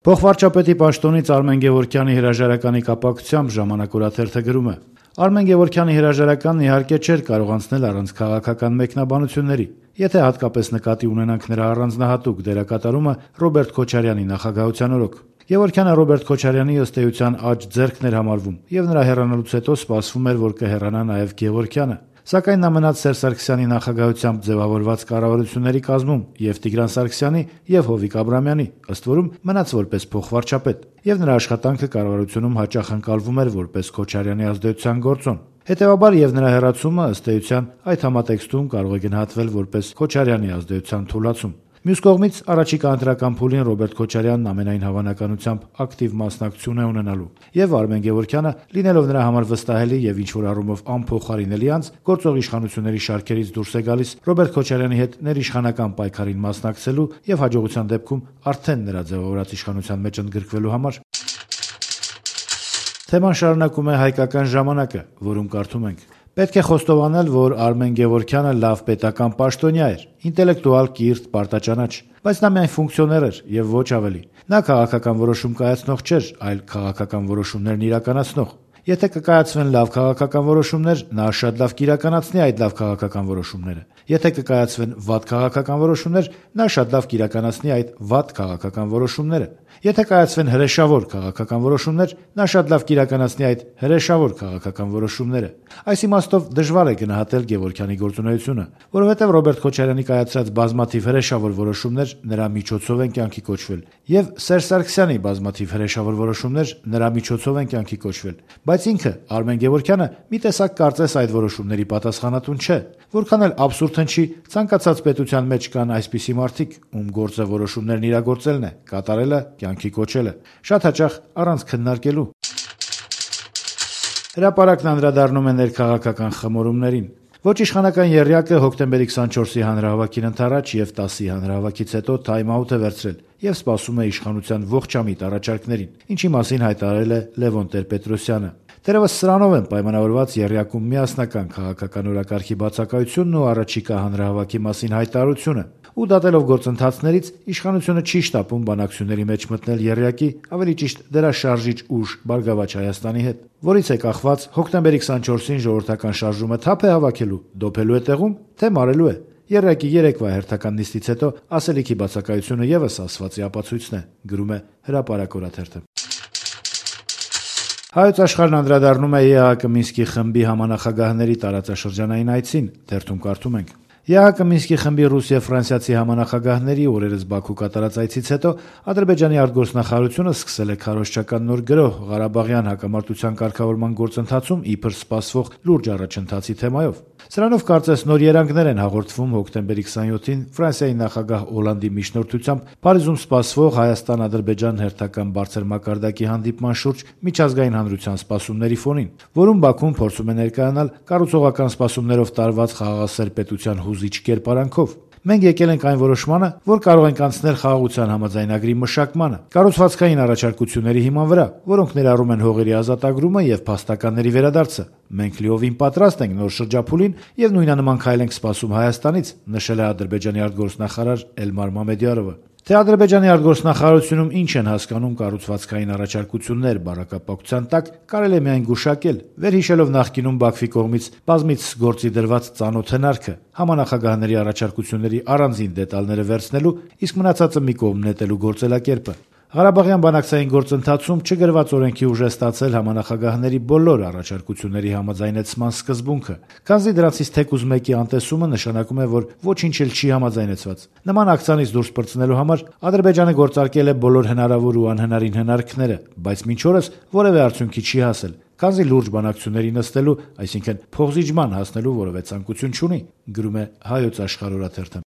Փոխվարչապետի պաշտոնից Արմեն Գևորգյանի հրաժարականի կապակցությամբ «Ժամանակ» օրաթերթը գրում է. Արմեն Գևորգյանի հրաժարականն իհարկե չէր կարող անցնել առանց քաղաքական մեկնաբանությունների, եթե հատկապես նկատի ունենանք նրա առանձնահատուկ դերակատարումը Ռոբերտ Քոչարյանի նախագահության օրոք։ Գևորգյանը Ռոբերտ Քոչարյանի ըստ էության աջ ձեռքն էր համարվում, եւ նրա հեռանալուց հետո սպասվում էր, որ կհեռանա նաեւ Գևորգյանը։ Սակայն նա մնաց Սերժ Սարգսյանի նախագահությամբ ձևավորված կառավարությունների կազմում եւ Տիգրան Սարգսյանի եւ Հովիկ Աբրահամյանի, ըստ որում մնաց որպես փոխվարչապետ, եւ նրա աշխատանքը կառավարությունում հաճախ ընկալվում էր որպես Քոչարյանի ազդեցության գործոն։ Հետևաբար եւ նրա հեռացումը ըստ էության այդ համատեքստում կարող է գնահատվել որպես Քոչարյանի ազդեցության թուլացում։ Մյուս կողմից առաջիկա ընտրական փուլին Ռոբերտ Քոչարյանն ամենայն հավանականությամբ ակտիվ մասնակցություն է ունենալու, եւ Արմեն Գևորգյանը, լինելով նրա համար վստահելի եւ ինչ-որ առումով անփոխարինելի անձ, գործող իշխանությունների շարքերից դուրս է գալիս Ռոբերտ Քոչարյանի հետ ներիշխանական պայքարին մասնակցելու եւ հաջողության դեպքում արդեն նրա ձևավորած իշխանության մեջ ընդգրկվելու համար։ Թեման շարունակում է հայկական ժամանակը, որում կարդում ենք. Պետք է խոստովանել, որ Արմեն Գևորգյանը լավ պետական պաշտոնյա էր, ինտելեկտուալ, կիրթ, պարտաճանաչ, բայց նա միայն ֆունկցիոներ էր եւ ոչ ավելի։ Նա քաղաքական որոշում կայացնող չէր, այլ քաղաքական որոշումներն իրականացնող։ Եթե կկայացվեն լավ քաղաքական որոշումներ, նա շատ լավ կիրականացնի այդ լավ քաղաքական որոշումները։ Եթե կկայացվեն վատ քաղաքական որոշումներ, նա շատ լավ կիրականացնի այդ վատ քաղաքական որոշումները։ Եթե կայացվեն հրեշավոր քաղաքական որոշումներ, նա շատ լավ կիրականացնի այդ հրեշավոր քաղաքական որոշումները։ Այս իմաստով դժվար է գնահատել Գևորգյանի գործունեությունը, որովհետև Ռոբերտ Քոչարյանի կայացրած բազմաթիվ հրեշավոր որոշումներ նրա միջոցով են կյանքի կոչվել, եւ Սերժ Սարգսյանի բազմաթիվ հրեշավոր որոշումներ նրա միջոցով են կյանքի կոչվել, բայց ինքը Արմեն Գևորգյանը մի տեսակ կարծես այդ որոշումների պատասխանատուն չէ։ Որքան էլ աբսուրդ հնչի, ցանկացած պետության մեջ կան այսպիսի մարդիկ, ում գործը որոշումներն իրագործելն է, կատարելը, կյանքի կոչելը, շատ հաճախ առանց քննարկելու։ Հրապարակն անդրադառնում է ներքաղաքական խմորումներին։ Ոչ իշխանական եռյակը հոկտեմբերի 24-ի հանրահավաքին ընդառաջ եւ 10-ի հանրահավաքից հետո թայմ-աութ է վերցրել եւ սպասում է իշխանության ողջամիտ առաջարկներին, ինչի մասին հայտարարել է Լևոն Տեր-Պետրոսյանը։ Դեռևս սրանով են պայմանավորված եռյակում միասնական քաղաքական օրակարգի բացակայությունն ու առաջիկա հանրահավաքի մասին հայտարարությունը։ Ու դատելով գործընթացներից, իշխանությունը չի շտապում բանակցությունների մեջ մտնել եռյակի, ավելի ճիշտ դրա շարժիչ ուժ Բարգավաճ Հայաստանի հետ, որից է կախված հոկտեմբերի 24-ին ժողովրդական շարժումը թափ է հավաքելու, դոփելու է տեղում, թե մարելու է։ Եռյակի երեկվա հերթական նիստից հետո ասելիքի բացակայությունը եւս ասվածի ապացույցն է, գրում է Հրապարակ օրաթերթը։ Հայոց աշխարհն անդրադառնում է ԵԱՀԿ Մինսկի խմբի համանախագահների տարածաշրջանային այցին, թերթում կարդում ենք. ԵԱՀԿ Մինսկի խմբի ռուս եւ ֆրանսիացի համանախագահների օրերս Բաքու կատարած այցից հետո Ադրբեջանի արտգործնախարարությունը սկսել է քարոզչական նոր գրոհ Ղարաբաղյան հակամարտության կարգավորման գործընթացում իբր սպասվող լուրջ առաջընթացի թեմայով։ Սրանով կարծես նոր երանգներ են հաղորդվում հոկտեմբերի 27-ին Ֆրանսիայի նախագահ Օլանդի միջնորդությամբ Փարիզում սպասվող Հայաստան-Ադրբեջան հերթական բարձր մակարդակի հանդիպման շուրջ միջազգային հանրության սպասումների ֆոնին, որում Բաքուն փորձում է ներկայանալ կառուցողական սպասումներով տարված խաղաղասեր պետության հուզիչ կերպարանքով։ Մենք եկել ենք այն որոշմանը, որ կարող ենք անցնել խաղաղության համաձայնագրի մշակմանը, կառուցվածքային առաջարկությունների հիման վրա, որոնք ներառում են հողերի ազատագրումը եւ փաստականների վերադարձը։ Մենք լիովին պատրաստ ենք նոր շրջափուլին եւ նույնանման քայլ ենք սպասում Հայաստանից, նշել է Ադրբեջանի արտգործնախարար Էլմար Մամեդյարովը։ Թե Ադրբեջանի արտգործնախարարությունում ինչ են հասկանում կառուցվածքային առաջարկություններ բառակապակցության տակ, կարելի է միայն գուշակել, վերհիշելով նախկինում Բաքվի կողմից բազմիցս գործի դրված ծանոթ հնարքը համանախագահների առաջարկությունների առանձին դետալները վերցնելու, իսկ մնացածը մի կողմ նետելու գործելակերպը։ Ղարաբաղյան բանակցային գործընթացում չգրված օրենքի ուժ է ստացել համանախագահների բոլոր առաջարկությունների համաձայնեցման սկզբունքը, քանզի դրանցից թեկուզ մեկի անտեսումը նշանակում է, որ ոչինչ էլ չի համաձայնեցված։ Նման ակցիանից դուրս պրծնելու համար Ադրբեջանը գործարկել է բոլոր հնարավոր ու անհնարին հնարքները, բայց մինչ օրս որևէ արդյունքի չի հասել, քանզի լուրջ բանակցությունների նստելու, այսինքն փոխզիջման հասնելու որևէ ցանկություն չունի, գրում է Հայոց աշխարհ օրաթերթը։